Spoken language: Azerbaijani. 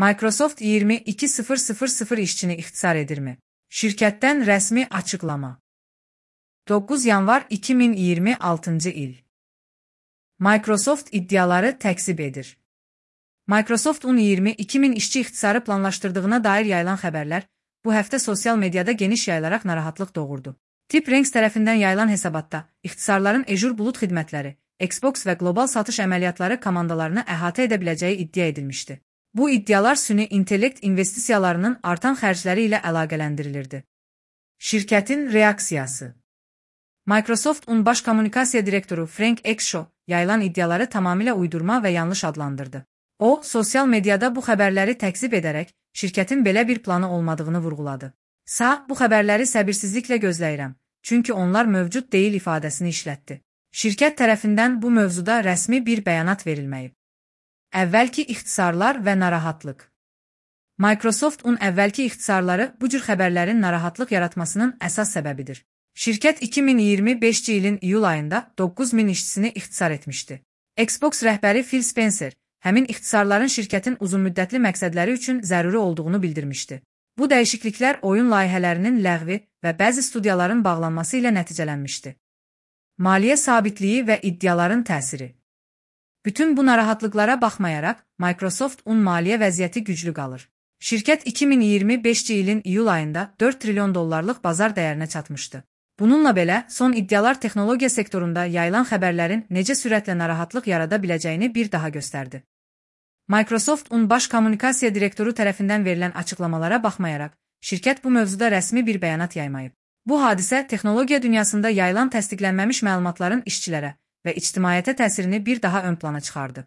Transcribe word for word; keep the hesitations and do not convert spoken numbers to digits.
Microsoft iyirmi iki min işçini ixtisar edirmi? Şirkətdən rəsmi açıqlama. doqquz yanvar iki min iyirmi altıncı il. Microsoft iddiaları təkzib edir. Microsoftun iyirmi iki min işçi ixtisarı planlaşdırdığına dair yayılan xəbərlər bu həftə sosial mediada geniş yayılaraq narahatlıq doğurdu. TipRanks tərəfindən yayılan hesabatda ixtisarların Azure bulut xidmətləri, Xbox və qlobal satış əməliyyatları komandalarını əhatə edə biləcəyi iddia edilmişdi. Bu iddialar süni intellekt investisiyalarının artan xərcləri ilə əlaqələndirilirdi. Şirkətin reaksiyası. Microsoftun baş kommunikasiya direktoru Frank Exshaw yayılan iddiaları tamamilə uydurma və yanlış adlandırdı. O, sosial mediada bu xəbərləri təkzib edərək şirkətin belə bir planı olmadığını vurğuladı. Sa, bu xəbərləri səbirsizliklə gözləyirəm, çünki onlar mövcud deyil ifadəsini işlətdi. Şirkət tərəfindən bu mövzuda rəsmi bir bəyanat verilməyib. Əvvəlki ixtisarlar və narahatlıq. Microsoftun əvvəlki ixtisarları bu cür xəbərlərin narahatlıq yaratmasının əsas səbəbidir. Şirkət iki min iyirmi beşinci ilin iyul ayında doqquz min işçisini ixtisar etmişdi. Xbox rəhbəri Phil Spencer həmin ixtisarların şirkətin uzunmüddətli məqsədləri üçün zəruri olduğunu bildirmişdi. Bu dəyişikliklər oyun layihələrinin ləğvi və bəzi studiyaların bağlanması ilə nəticələnmişdi. Maliyyə sabitliyi və iddiaların təsiri. Bütün bu narahatlıqlara baxmayaraq, Microsoftun maliyyə vəziyyəti güclü qalır. Şirkət iki min iyirmi beşinci ilin iyul ayında dörd trilyon dollarlıq bazar dəyərinə çatmışdı. Bununla belə, son iddialar texnologiya sektorunda yayılan xəbərlərin necə sürətlə narahatlıq yarada biləcəyini bir daha göstərdi. Microsoftun baş kommunikasiya direktoru tərəfindən verilən açıqlamalara baxmayaraq, şirkət bu mövzuda rəsmi bir bəyanat yaymayıb. Bu hadisə texnologiya dünyasında yayılan təsdiqlənməmiş məlumatların işçilərə və ictimaiyyətə təsirini bir daha ön plana çıxardı.